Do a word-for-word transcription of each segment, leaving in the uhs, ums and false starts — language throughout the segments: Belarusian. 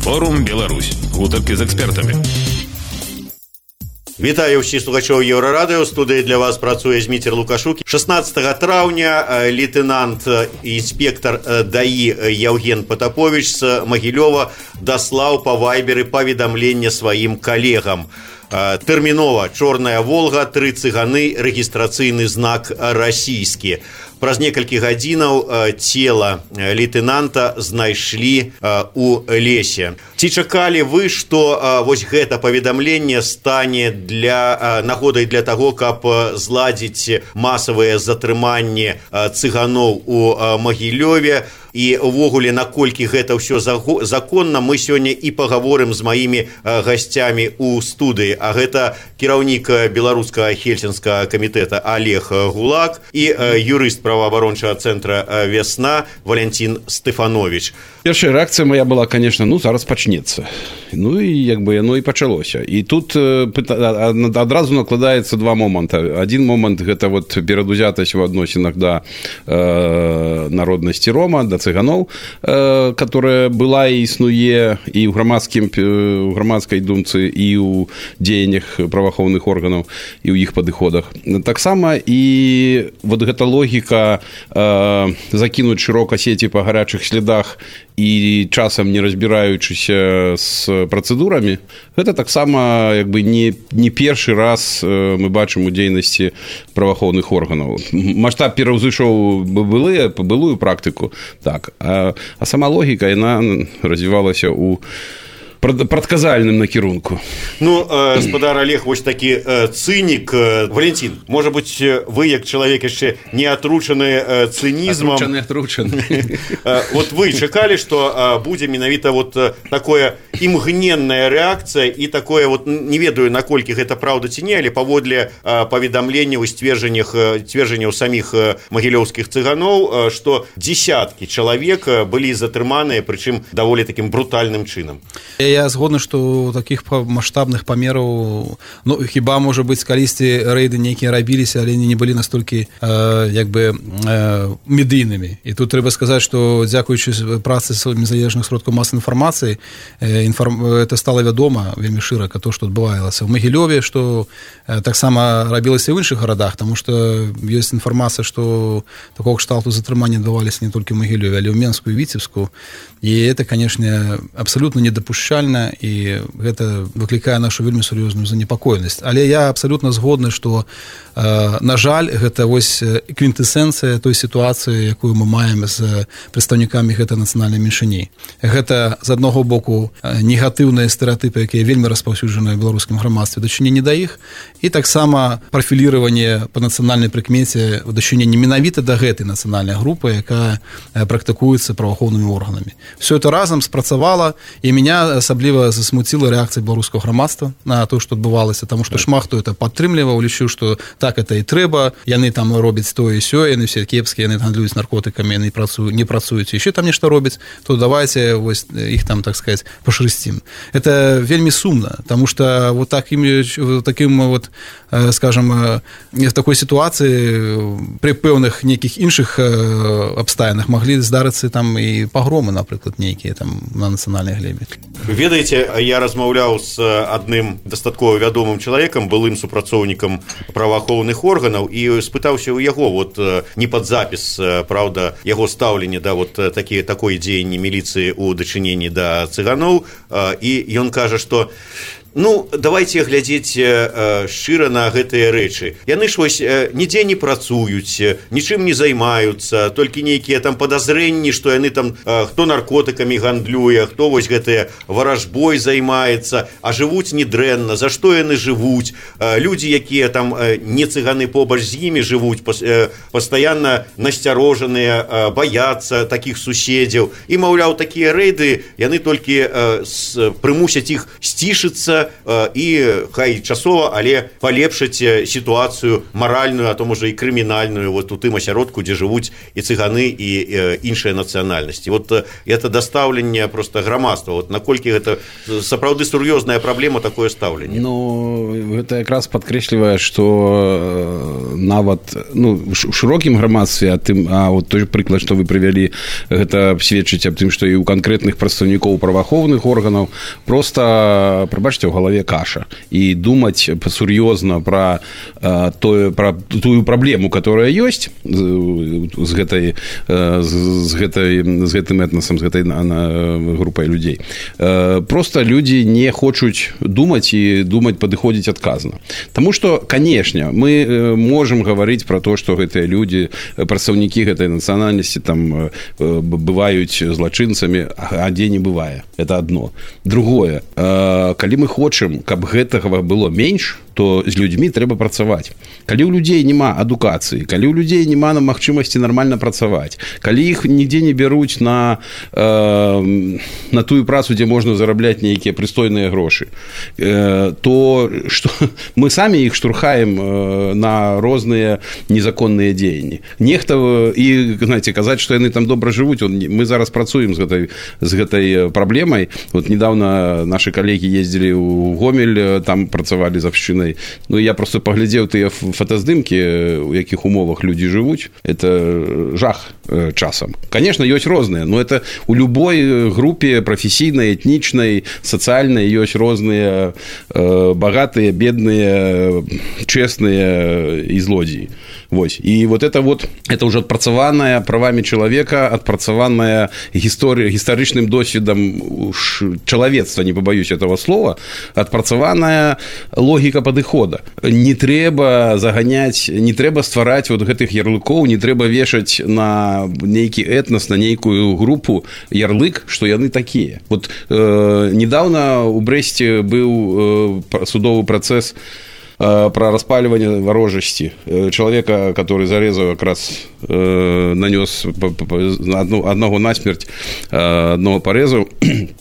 Форум Беларусь. Гутарки з экспертамі. Вітаю ўсіх слухачоў Еўрарадыё. У студыі для вас працуе Зміцер Лукашук. шаснаццатага траўня лейтенант інспектор ДАІ Яўген Патапович з Магілёва даслаў па вайберы паведамленне сваім калегам. Тэрмінова чорная Волга, тры цыганы, рэгістрацыйны знак расійскі. Праз некалькі гадзінаў цела лейтенанта знайшлі у лесе. Ці чакалі вы, што вось гэта паведамленне стане для нагодай для таго, каб зладзіць масавыя затрыманні цыганоў у Магілёве? І ўвогуле, наколькі гэта ўсё законна, мы сёння і пагаворым з маімі гасцямі ў студыі. А гэта кіраўнік беларускага хельсінскага камітэта Олег Гулак і юрыст праваабарончага цэнтра «Вясна» Валянцін Стэфанович. Першая рэакцыя моя была, конечно, ну, зараз пачнецца. Ну, і як бы яно і пачалося. І тут адразу накладаецца два моманта. Адзін момант – гэта вот перадузятасць у адносінах да э, народнасці рома, да цыганоў, э, которая была і існуе і ў грамадскім, ў грамадскай думцы, і ў дзеяннях праваахоўных органаў, і ў іх падыходах. Таксама і вот гэта логіка э, закінуць шырока сеці па гарячых слядах і часам не разбіраючыся з працэдурамі, гэта таксама як бы не, не першы раз мы бачым у дзейнасці праваахоўных органаў. Маштаб пераўзышоў былыя, былую практыку, так, а, а сама логіка, яна развівалася ў прадказальным накірунку. Ну, э, спадар Олег, вось такі э, цынік. Э, Валентин, можа быць, вы, як чалавек яшчэ не атручаны э, цынізмам... Атручаны, атручаны. Э, вот вы чакалі, што э, будзе менавіта вот э, такое імгненная рэакцыя і такое вот, не ведаю, наколькі гэта праўда ці не, але паводле э, паведамленняў і сцверджаннях э, сцверджанняў саміх э, магілёўскіх цыганоў, э, што дзесяткі чалавек э, былі затрыманыя, прычым даволі такім брутальным чынам. Я згодны, што такіх маштабных памераў, ну, хіба, можа быць, калісьці рэйды нейкія рабіліся, але не былі настолькі, э, як бы, э, медыйнымі. І тут трэба сказаць, што дзякуючы працы незалежных сродкаў масавай інфармацыі, э, інформ... это стала вядома вельмі шырака, то, што адбывалася ў Магілёве, што э, таксама рабілася ў іншых гарадах, таму што ёсць інфармацыя, што такога кшталту затрымання адбываліся не толькі ў Магілёве, але ў Менску і Віцебску. І это, канешне, абсалютна недапушчальна, і гэта выклікае нашу вельмі сур'ёзную занепакоенасць. Але я абсалютна згодны, што, э, на жаль, гэта вось квінтэсэнцыя той сітуацыі, якую мы маем з прадстаўнікамі гэтай нацыянальнай меншыні. Гэта, з аднаго боку, негатыўныя стэрэатыпы, якія вельмі распаўсюджаныя ў беларускім грамадстве, дачыненні да іх, і таксама прафіліраванне па нацыянальнай прыкмеце ў дачыненні менавіта да гэтай нацыянальнай групы, якая практыкуецца праваахоўнымі органамі. Все это разам спрацавала, і меня асабліва засмуціла рэакцыя беларускага грамадства на то, што адбывалася, таму што шмат хто это падтрымліваў, лічыў, што так это і трэба, яны там робяць тое і сёе, яны все кепскія, яны гандлююць наркотыкамі, яны працуюць, не працуюць, яшчэ там нешта робяць, то давайте вось іх там, так сказать, пашрысцім. Это вельмі сумна, таму што вот таким, таким вот, скажем, в такой сітуацыі пры пэўных нейкіх іншых абставінах маглі здарыцца там і пагромы, напрыклад, нейкія там на нацыянальнай глебе. Ведаеце, я размаўляў з адным дастаткова вядомым чалавекам, былым супрацоўнікам праваахоўных органаў, і спытаўся ў яго, вот не пад запіс, праўда, яго стаўленне да вот такі, такой дзеянні міліцыі ў дачыненні да цыганоў, і ён кажа, што ну, давайте глядзець э, шчыра на гэтыя рэчы. Яны ж вось э, нідзе не працуюць, нічым не займаюцца, толькі нейкія там падазрэнні, што яны там э, хто наркотыкамі гандлюе, хто вось гэтыя варажбой займаецца, а жывуць недрэнна, за што яны жывуць. Э, людзі, якія там э, не цыганы побач з імі жывуць, пас, э, пастаянна насцярожаныя, э, баяцца такіх суседзяў. І, маўляў, такія рэйды, яны толькі э, с, прымусяць іх сцішыцца, гэта і хай часова, але палепшыць сітуацыю маральную, а то можа і крымінальную вот у тым асяродку, дзе жывуць і цыганы, і іншыя нацыянальнасці. Вот это дастаўленне просто грамадства. Вот наколькі гэта сапраўды сур'ёзная праблема, такое стаўленне? Ну, гэта якраз падкрэслівае, што нават ну, у шырокім грамадстве, а, тым, а вот той прыклад, што вы прывялі, гэта сведчыць аб тым, што і ў канкрэтных прадстаўнікоў праваахоўных органаў просто, прабачце, ў галаве каша. І думаць сур'ёзна пра, тое, пра тую праблему, которая ёсць з гэтай, з гэтай, з гэтым этнасам, з гэтай групай людзей. Просто людзі не хочуць думаць і думаць падыходзіць адказна. Таму што, канешне, мы можам гаварыць пра то, што гэтыя людзі, прадстаўнікі гэтай нацыянальнасці там бываюць злачынцамі, а дзе не бывае. Это адно. Другое, калі мы хочам, каб гэтага было менш, то з людзьмі трэба працаваць. Калі ў людзей няма адукацыі, калі ў людзей няма на магчымасці нармальна працаваць, калі іх нідзе не бяруць на, э, на тую працу, дзе можна зарабляць нейкія прыстойныя грошы, э, то што, мы самі іх штурхаем на розныя незаконныя дзеянні. Нехта, і, знаете, казаць, што яны там добра жывуць, мы зараз працуем з гэтай, з гэтай праблемай. Вот недавно наши калегі ездзілі ў Гомель, там працавалі з абшчынай. Ну, я просто паглядзеў тыя фотаздымкі, у якіх умовах людзі жывуць. Это жах часам. Конечно, ёсць розныя, но это у любой групе прафесійнай, этнічнай, сацыяльнай ёсць розныя багатыя, бедныя, честныя і злодзеі. Вось. І вот это вот, это уже адпрацаваная правамі чалавека, адпрацаваная гісторыя, гістарычным досведам чалавецтва, не побоюсь этого слова, адпрацаваная логіка падыхода. Не трэба заганяць, не трэба ствараць вот гэтых ярлыкоў, не трэба вешаць на нейкі этнас, на нейкую групу ярлык, што яны такія. Вот э, недавно у Брэсце быў э, судовы працэс про распаливание ворожести. Человека, который зарезал, как раз э, нанес одну, одного насмерть, одного порезал,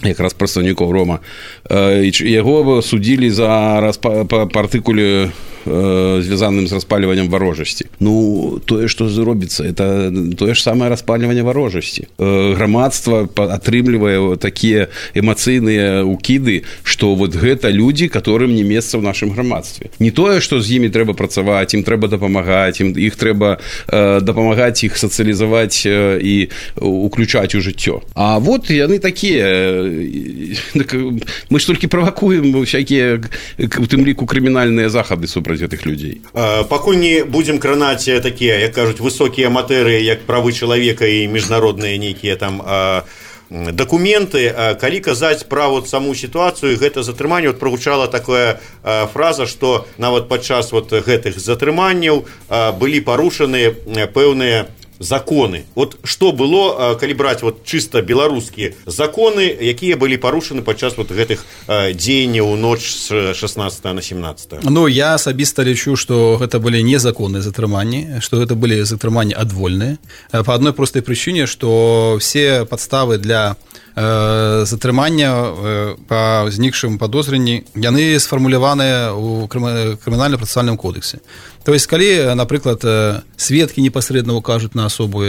как раз представников Рома. Его судили за распа, по, по артикуле звязаным з распальваннем варожасці. Ну, тое, што зробіцца, это тое ж самае распальванне варожасці. Грамадства атрымлівае такія эмацыйныя укіды, што вот гэта людзі, которым не месца ў нашым грамадстве. Не тое, што з імі трэба працаваць, ім трэба дапамагаць, ім іх трэба э, дапамагаць іх сацыялізаваць э, і уключаць у жыццё. А вот яны такія. Мы ж толькі правакуем всякія, у тым ліку, крымінальныя захады супраць гэтых людзей. Пакуль не будзем кранаць такія, як кажуць, высокія матэрыі, як правы чалавека і міжнародныя нейкія там дакументы, калі казаць пра вот саму сітуацыю, гэта затрыманне, вот прагучала такая фраза, што нават падчас вот гэтых затрыманняў былі парушаны пэўныя законы. Вот што было, калі браць вот чыста беларускія законы, якія былі парушаны падчас вот гэтых дзеянняў у ноч з шаснаццатага на семнаццатае? Ну, я асабіста лічу, што гэта былі незаконныя затрыманні, што гэта былі затрыманні адвольныя. Па адной простай прычыне, што все падставы для э, затрымання э, па знікшым падозрэнні, яны сфармуляваныя ў крымінальна-працэсуальным кодексе. То есть, калі, напрыклад, сведкі непасрэдна укажуць на асобу,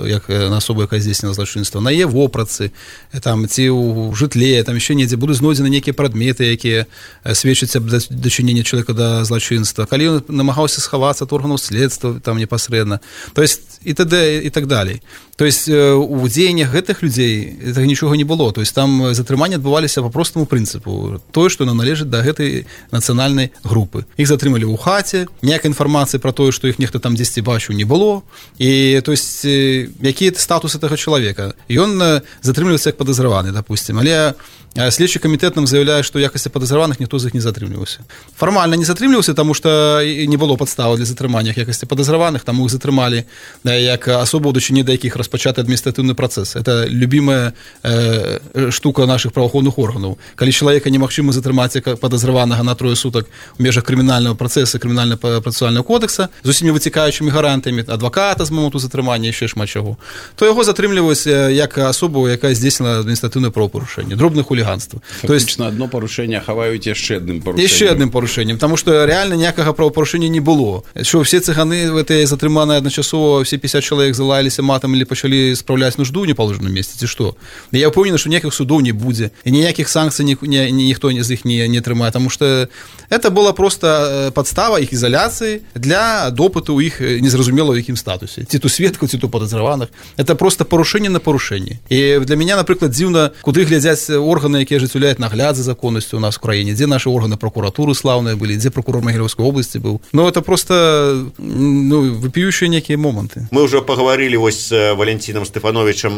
як на асобу, якая здзейсніла злачынства, на яе вопратцы, там, ці ў жытле, там яшчэ недзе будуць знойдзены нейкія прадметы, якія сведчаць аб дачыненні чалавека да злачынства. Калі ён намагаўся схавацца ад органаў следства, там непасрэдна. То есть, і т.д. і так далей. То есть, у дзеяннях гэтых людзей гэтага нічога не было. То есть, там затрыманні адбываліся па простаму прынцыпу. Тое, што належыць да гэтай нацыянальнай групы. Іх затрымалі ў хаце, ніякай інфармацыі пра тое, што іх нехта там дзесьці бачыў, не было. І, то есть, які статус гэтага чалавека? Ён затрымліваецца як падазраваны, допустим. Але следчы камітэт нам заяўляе, што ў якасці падазраваных ніхто з іх не затрымліваўся. Фармальна не затрымліваўся, таму што не было падставы для затрымання якасці падазраваных, таму іх затрымалі як асобу, у дачыненні да якіх распачаты адміністратыўны працэс. Это любимая э, штука наших праваахоўных органаў. Калі чалавека немагчыма затрымаць як падазраванага на трое сутак у межах крымінальнага працэса, крымінальна-працэсуальнага кодекса, з усімі выцікаючымі гарантамі, адваката з моманту затрымання, яшчэ шмат чаго, то яго затрымліваюць як асобу, якая здзейснила адміністратыўнае правапарушэнне, дробнае хуліганства. Фактично одно парушэнне хаваюць яшчэ адным парушэннем. Яшчэ адным парушэннем, потому что реально ніякага правапарушэння не было. Що все цыганы в этой затрыманыя адначасова, все пятьдесят чалавек залаяліся матам или пачалі спраўляць нужду ў непаложаным месцы, ці што? Я ўпэўнены, што ніякіх судоў не будзе, і ніякіх санкцый ні, ні, ніхто з іх не, не трымае, потому что это была просто подстава іх изоляции для допыту іх незразумела ў якім статусе. Ці то сведкаў, ці то падазраваных. Это просто парушэнне на парушэнне. І для мяне, напрыклад, дзіўна, куды глядзяць органы, якія ажыццяўляюць нагляд за законнасцю у нас в краіне, дзе наши органы прокуратуры слаўныя былі, дзе прокурор Магілёўскай области быў. Ну, это просто ну, выпіющие некие моменты. Мы уже поговорили вось с Валентином Стефановичем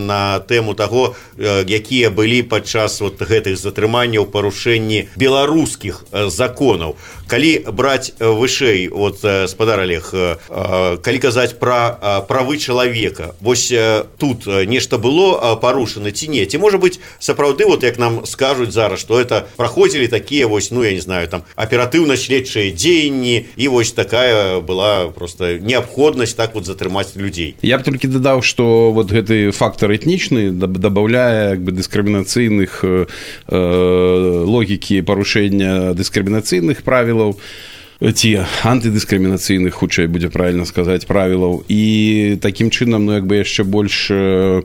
на тему того, якія былі падчас вот гэтых затрыманняў парушэнні беларускіх законаў. Калі браць вышэй, вот, спадар Олег, калі казаць пра правы чалавека, вось тут нешта было парушана ці не? Ці можа быць сапраўды, вот як нам скажуць зараз, што это праходзілі такія вось, ну я не знаю, там аператыўна-следчыя дзеянні, і вось такая была просто неабходнасць так вот затрымаць людзей. Я б толькі дадаў, што вот гэты фактор этнічны дабаўляе як бы дыскрымінацыйных э, логікі парушэння дыскрымінацыйных правілаў, ці антыдыскрымінацыйных, хутчэй будзе правільна сказаць, правілаў, і такім чынам, ну як бы яшчэ больш э,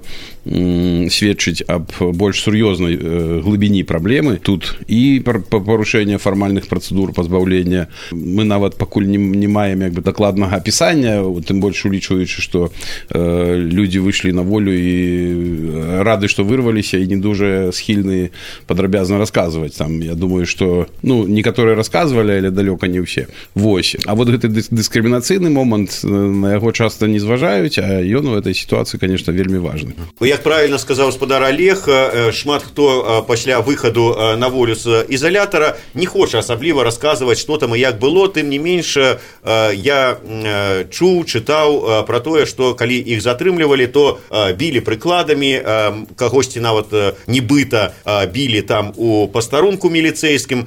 сведчыць аб больш сур'ёзнай э, глыбіні праблемы тут і парушэння фармальных працэдур пазбаўлення. Мы нават пакуль не, не маем як бы дакладнага апісання, тым больш улічваючы, што э, людзі выйшлі на волю і рады, што вырваліся, і не дужа схільны падрабязна расказваць. Там, я думаю, што ну, некаторыя расказвалі, але далёка не ўсе. Вось. А вот гэты дыскрымінацыйны момант, на яго часта не зважаюць, а ён у этой сітуацыі, конечно, вельмі важны. Як правильно сказаў спадар Олег, шмат хто пасля выхаду на волю з ізалятара не хоча асабліва расказваць, што там і як было, тым не менш я чуў, чытаў пра тое, што калі іх затрымлівалі, то білі прыкладамі, кагосьці нават нібыта білі там у пастарунку міліцэйскім.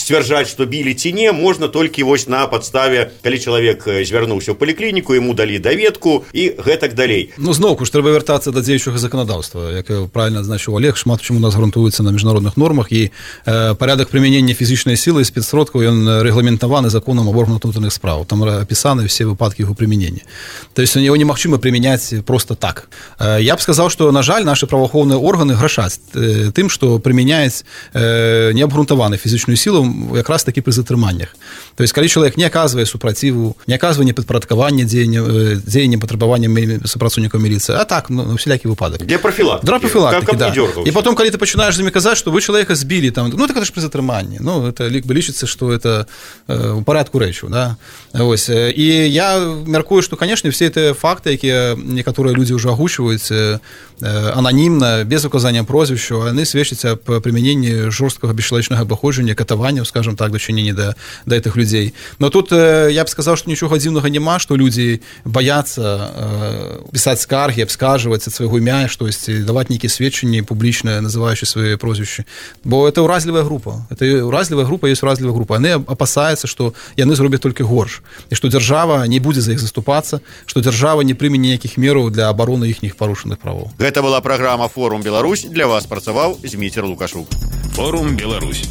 Сцвярджаць, што білі ці не, можна толькі вось на падставе, калі чалавек звярнуўся ў паліклініку, яму далі даведку і гэтак далей. Ну, зноўку ж трэба вяртацца да дзеючага законодаўства. Як правильно значыў Олег, шмат чаму у нас грунтуецца на міжнародных нормах, і э, парядак прымянення фізічнай сілы і спецсродкаў ён рэгламентаваны законам аб органах унутраных спраў. Там апісаны все выпадкі яго прымянення. То есть яго немагчыма прымяняць просто так. Э, я б сказаў, што, на жаль, нашы праваахоўныя органы грашаць э, тым, што прымяняюць э, неабгрунтаваны фізічную сілу якраз такі пры затрыманнях. То есть, калі чалавек не аказвае супраціву, не аказвае непадпарадкавання дзеянням патрабаванням супрацоўнікаў міліцыі, а так, ну, всякі выпадак. Для профилактики. Для профилактики, да. И потом, когда ты начинаешь с ними казать, что вы человека сбили, там, ну, так это же при затрымании. Ну, это лічыцца, что это э, у порядку рэчаў, да. Ось. И я мяркую, что, конечно, все эти факты, якія некаторыя люди уже агучваюць э, анонимно, без указания прозвища, они сведчаць аб прымяненні жорсткага бесчалавечнага абыходжання, катаванняў, скажем так, дачынення да, да этих людей. Но тут э, я б сказал, что ничего дзіўнага няма, что люди боятся э, писать скарги, абскарживать от своего імя, что есть, давать некие сведчанні публічныя, называющие свои прозвища. Бо это уразлівая група. Это уразлівая група, есть уразлівая група. Они опасаются, что яны зробят только горш. И что держава не будет за их заступаться, что держава не прыме ніякіх мераў для обороны іхніх парушаных правоў. Гэта была программа «Форум Беларусь». Для вас працаваў Зміцер Лукашук. Форум Беларусь.